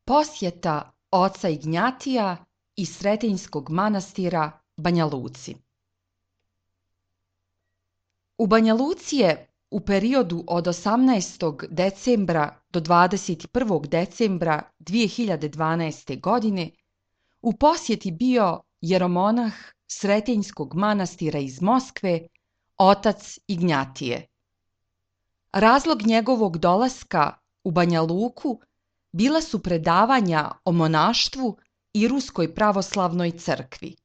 Posjeta oca Ignjatija iz Sretenjskog manastira Banja Luci. U Banja Luci je u periodu od 18. decembra do 21. decembra 2012. godine u posjeti bio jeromonah Sretenjskog manastira iz Moskve, otac Ignjatije. Razlog njegovog dolaska u Banja Luku bila su predavanja o monaštvu i Ruskoj pravoslavnoj crkvi.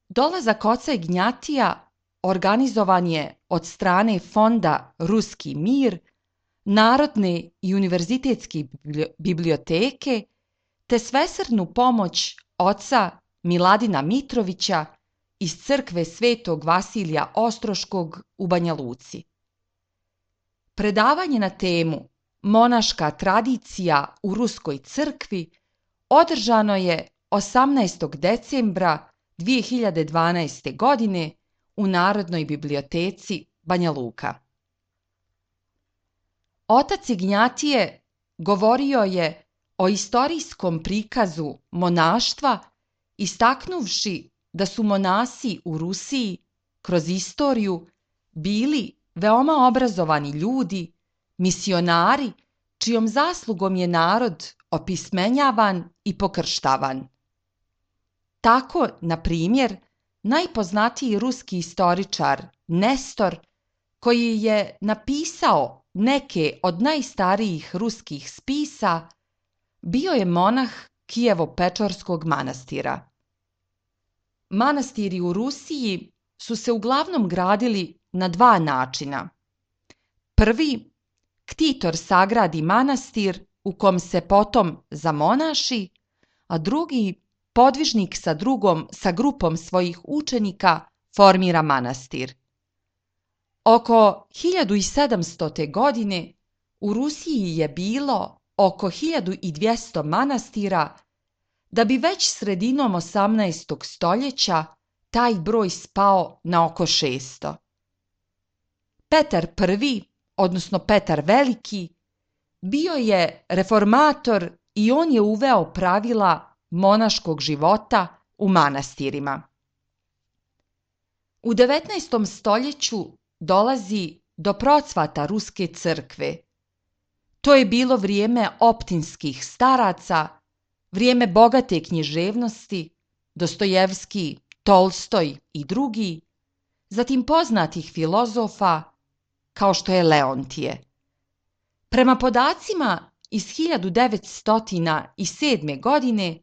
Dolazak oca Ignjatija organizovan je od strane Fonda Ruski mir, Narodne i univerzitetske biblioteke te svesrdnu pomoć oca Miladina Mitrovića iz crkve Svetog Vasilija Ostroškog u Banja Luci. Predavanje na temu Monaška tradicija u Ruskoj crkvi održano je 18. decembra 2012. godine u Narodnoj biblioteci Banja Luka. Otac Ignjatije govorio je o istorijskom prikazu monaštva, istaknuvši da su monasi u Rusiji kroz istoriju bili veoma obrazovani ljudi, misionari, čijom zaslugom je narod opismenjavan i pokrštavan. Tako, na primjer, najpoznatiji ruski istoričar Nestor, koji je napisao neke od najstarijih ruskih spisa, bio je monah Kijevo-Pečorskog manastira. Manastiri u Rusiji su se uglavnom gradili na dva načina. Prvi, ktitor sagradi manastir u kom se potom zamonaši, a drugi, podvižnik sa grupom svojih učenika formira manastir. Oko 1700. godine u Rusiji je bilo oko 1200 manastira, da bi već sredinom 18. stoljeća taj broj spao na oko 600. Petar I, odnosno Petar Veliki, bio je reformator i on je uveo pravila monaškog života u manastirima. U 19. stoljeću dolazi do procvata Ruske crkve. To je bilo vrijeme optinskih staraca, vrijeme bogate književnosti, Dostojevski, Tolstoj i drugi, zatim poznatih filozofa kao što je Leontije. Prema podacima iz 1907. godine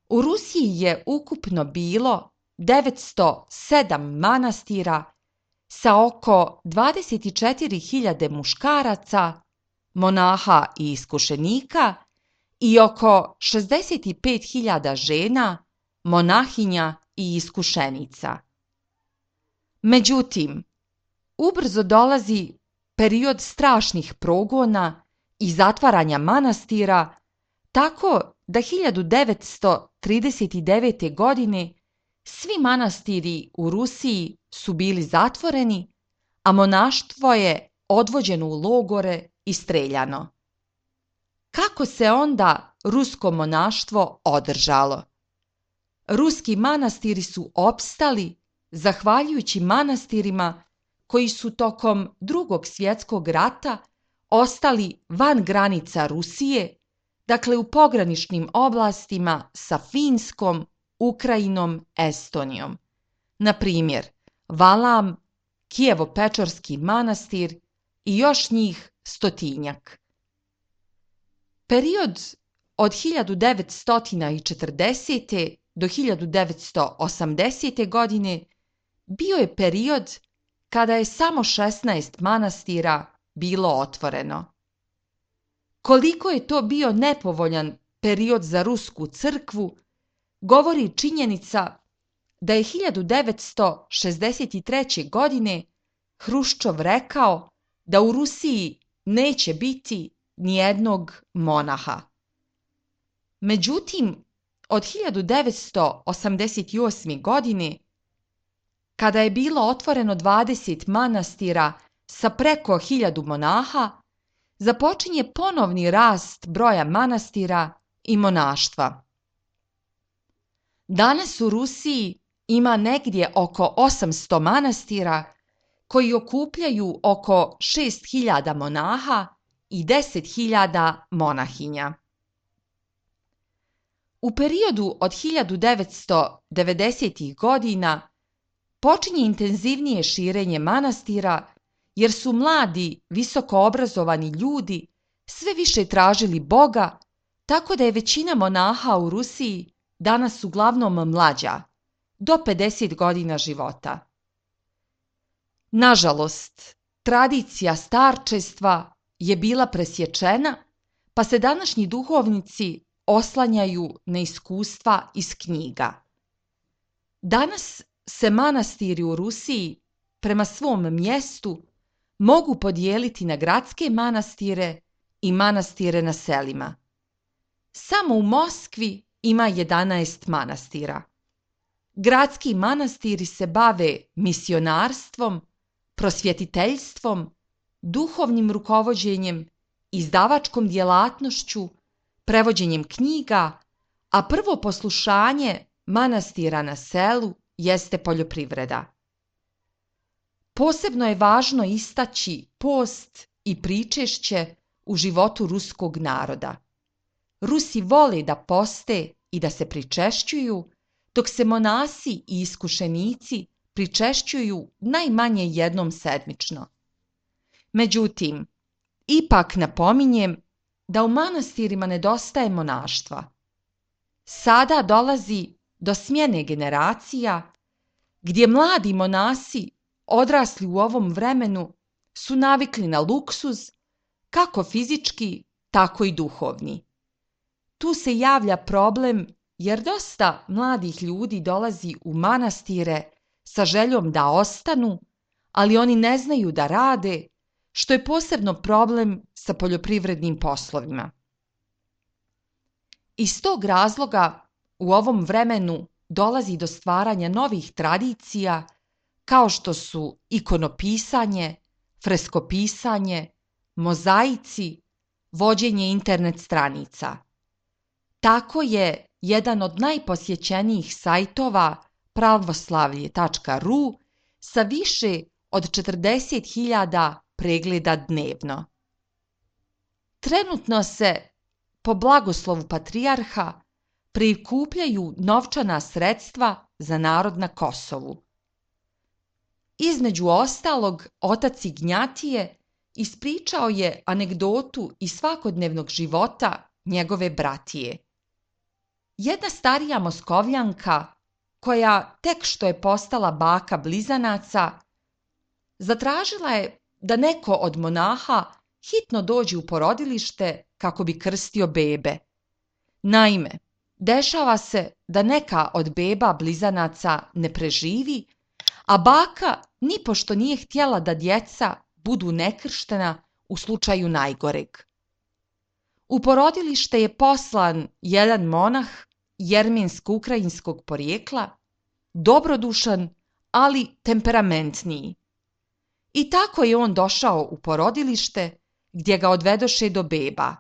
u Rusiji je ukupno bilo 907 manastira sa oko 24.000 muškaraca, monaha i iskušenika i oko 65.000 žena, monahinja i iskušenica. Međutim, ubrzo dolazi period strašnih progona i zatvaranja manastira, tako da 1939. godine svi manastiri u Rusiji su bili zatvoreni, a monaštvo je odvođeno u logore i streljano. Kako se onda rusko monaštvo održalo? Ruski manastiri su opstali zahvaljujući manastirima koji su tokom Drugog svjetskog rata ostali van granica Rusije, dakle u pograničnim oblastima sa Finskom, Ukrajinom, Estonijom. Na primjer, Valam, Kijevo-Pečorski manastir i još njih 100-tinjak. Period od 1940. do 1980. godine bio je period kada je samo 16 manastira bilo otvoreno. Koliko je to bio nepovoljan period za Rusku crkvu, govori činjenica da je 1963. godine Hruščov rekao da u Rusiji neće biti nijednog monaha. Međutim, od 1988. godine, kada je bilo otvoreno 20 manastira sa preko 1000 monaha, započinje ponovni rast broja manastira i monaštva. Danas u Rusiji ima negdje oko 800 manastira koji okupljaju oko 6.000 monaha i 10.000 monahinja. U periodu od 1990. godina počinje intenzivnije širenje manastira jer su mladi, visoko obrazovani ljudi sve više tražili Boga, tako da je većina monaha u Rusiji danas uglavnom mlađa, do 50 godina života. Nažalost, tradicija starčestva je bila presječena, pa se današnji duhovnici oslanjaju na iskustva iz knjiga. Danas se manastiri u Rusiji prema svom mjestu mogu podijeliti na gradske manastire i manastire na selima. Samo u Moskvi ima 11 manastira. Gradski manastiri se bave misionarstvom, prosvjetiteljstvom, duhovnim rukovođenjem, izdavačkom djelatnošću, prevođenjem knjiga, a prvo poslušanje manastira na selu jeste poljoprivreda. Posebno je važno istaći post i pričešće u životu ruskog naroda. Rusi vole da poste i da se pričešćuju, dok se monasi i iskušenici pričešćuju najmanje jednom sedmično. Međutim, ipak napominjem da u manastirima nedostaje monaštva. Sada dolazi do smjene generacija, gdje mladi monasi odrasli u ovom vremenu su navikli na luksuz, kako fizički, tako i duhovni. Tu se javlja problem jer dosta mladih ljudi dolazi u manastire sa željom da ostanu, ali oni ne znaju da rade, što je posebno problem sa poljoprivrednim poslovima. Iz tog razloga u ovom vremenu dolazi do stvaranja novih tradicija kao što su ikonopisanje, freskopisanje, mozaici, vođenje internet stranica. Tako je jedan od najposjećenijih sajtova pravoslavlje.ru sa više od 40.000 pregleda dnevno. Trenutno se, po blagoslovu patrijarha, prikupljaju novčana sredstva za narod na Kosovu. Između ostalog, otac Ignjatije ispričao je anegdotu iz svakodnevnog života njegove bratije. Jedna starija Moskovljanka, koja tek što je postala baka blizanaca, zatražila je da neko od monaha hitno dođe u porodilište kako bi krstio bebe. Naime, dešava se da neka od beba blizanaca ne preživi, a baka nipošto nije htjela da djeca budu nekrštena u slučaju najgoreg. U porodilište je poslan jedan monah jermensko-ukrajinskog porijekla, dobrodušan, ali temperamentniji. I tako je on došao u porodilište gdje ga odvedoše do beba.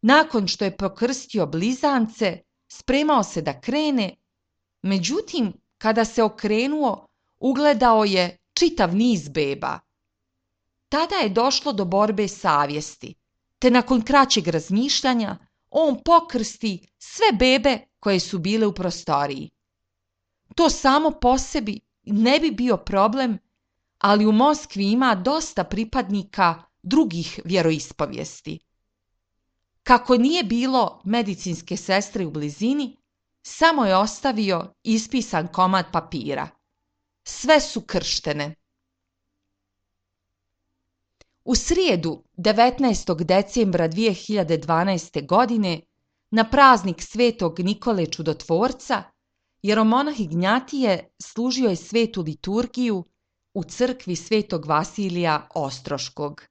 Nakon što je pokrstio blizance, spremao se da krene, međutim, kada se okrenuo, ugledao je čitav niz beba. Tada je došlo do borbe savjesti, te nakon kraćeg razmišljanja on pokrsti sve bebe koje su bile u prostoriji. To samo po sebi ne bi bio problem, ali u Moskvi ima dosta pripadnika drugih vjeroispovijesti. Kako nije bilo medicinske sestre u blizini, samo je ostavio ispisan komad papira. Sve su krštene. U srijedu 19. decembra 2012. godine, na praznik svetog Nikole Čudotvorca, jeromonah Ignjatije služio je svetu liturgiju u crkvi svetog Vasilija Ostroškog.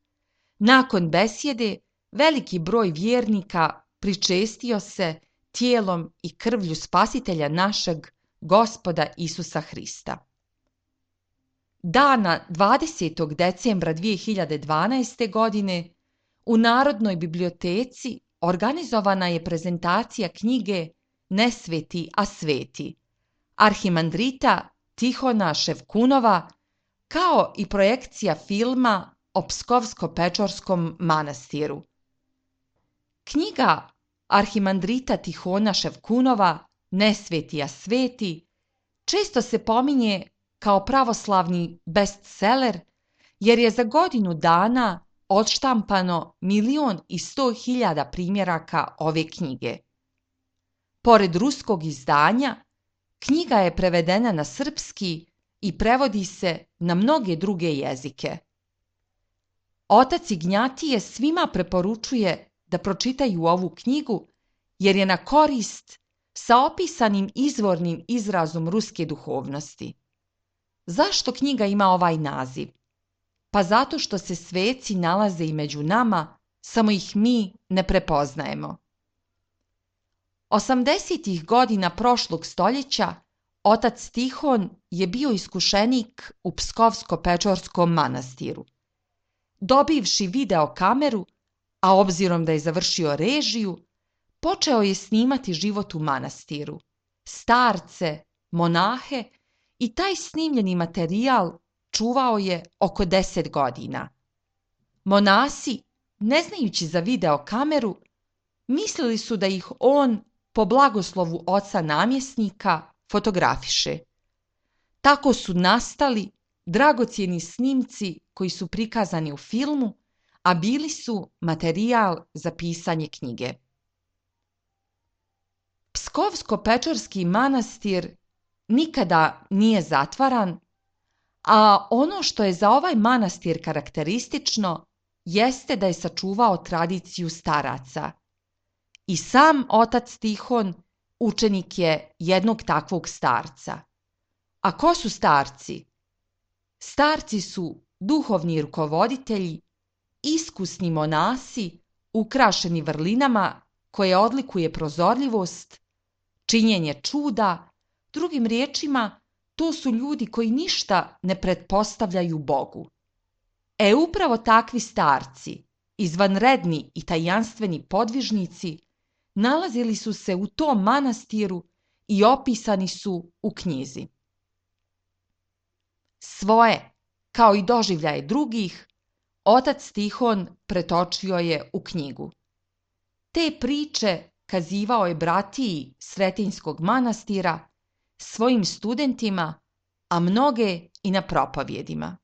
Nakon besjede, veliki broj vjernika pričestio se tijelom i krvlju Spasitelja našeg Gospoda Isusa Hrista. Dana 20. decembra 2012. godine u Narodnoj biblioteci organizovana je prezentacija knjige Nesveti, a sveti arhimandrita Tihona Ševkunova, kao i projekcija filma o Pskovsko-Pečorskom manastiru. Knjiga arhimandrita Tihona Ševkunova Nesveti, a sveti često se pominje kao pravoslavni bestseller jer je za godinu dana odštampano 1.100.000 primjeraka ove knjige. Pored ruskog izdanja, knjiga je prevedena na srpski i prevodi se na mnoge druge jezike. Otac Ignjatije svima preporučuje da pročitaju ovu knjigu jer je na korist sa opisanim izvornim izrazom ruske duhovnosti. Zašto knjiga ima ovaj naziv? Pa zato što se sveci nalaze i među nama, samo ih mi ne prepoznajemo. 80. godina prošlog stoljeća otac Tihon je bio iskušenik u Pskovsko-Pečorskom manastiru. Dobivši video kameru, a obzirom da je završio režiju, počeo je snimati život u manastiru, starce, monahe i taj snimljeni materijal čuvao je oko 10 godina. Monasi, ne znajući za video kameru, mislili su da ih on, po blagoslovu oca namjesnika, fotografiše. Tako su nastali dragocjeni snimci koji su prikazani u filmu, a bili su materijal za pisanje knjige. Pskovsko-Pečorski manastir nikada nije zatvaran, a ono što je za ovaj manastir karakteristično jeste da je sačuvao tradiciju staraca. I sam otac Tihon učenik je jednog takvog starca. A ko su starci? Starci su duhovni rukovoditelji, iskusni monasi, ukrašeni vrlinama koje odlikuje prozorljivost, činjenje čuda, drugim riječima, to su ljudi koji ništa ne pretpostavljaju Bogu. Upravo takvi starci, izvanredni i tajanstveni podvižnici, nalazili su se u tom manastiru i opisani su u knjizi. Svoje, kao i doživljaje drugih, otac Tihon pretočio je u knjigu. Te priče kazivao je bratiji Sretinjskog manastira, svojim studentima, a mnoge i na propovjedima.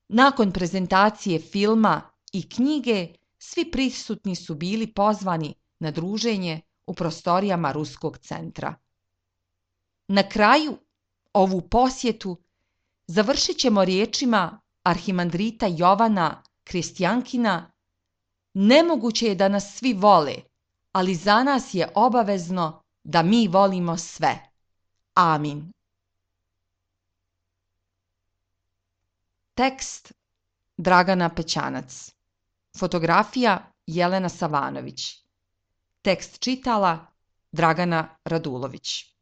Nakon prezentacije filma i knjige, svi prisutni su bili pozvani na druženje u prostorijama Ruskog centra. Na kraju ovu posjetu završit ćemo riječima arhimandrita Jovana Kristjankina: nemoguće je da nas svi vole, ali za nas je obavezno da mi volimo sve. Amin. Tekst Dragana Pećanac. Fotografija Jelena Savanović. Tekst čitala Dragana Radulović.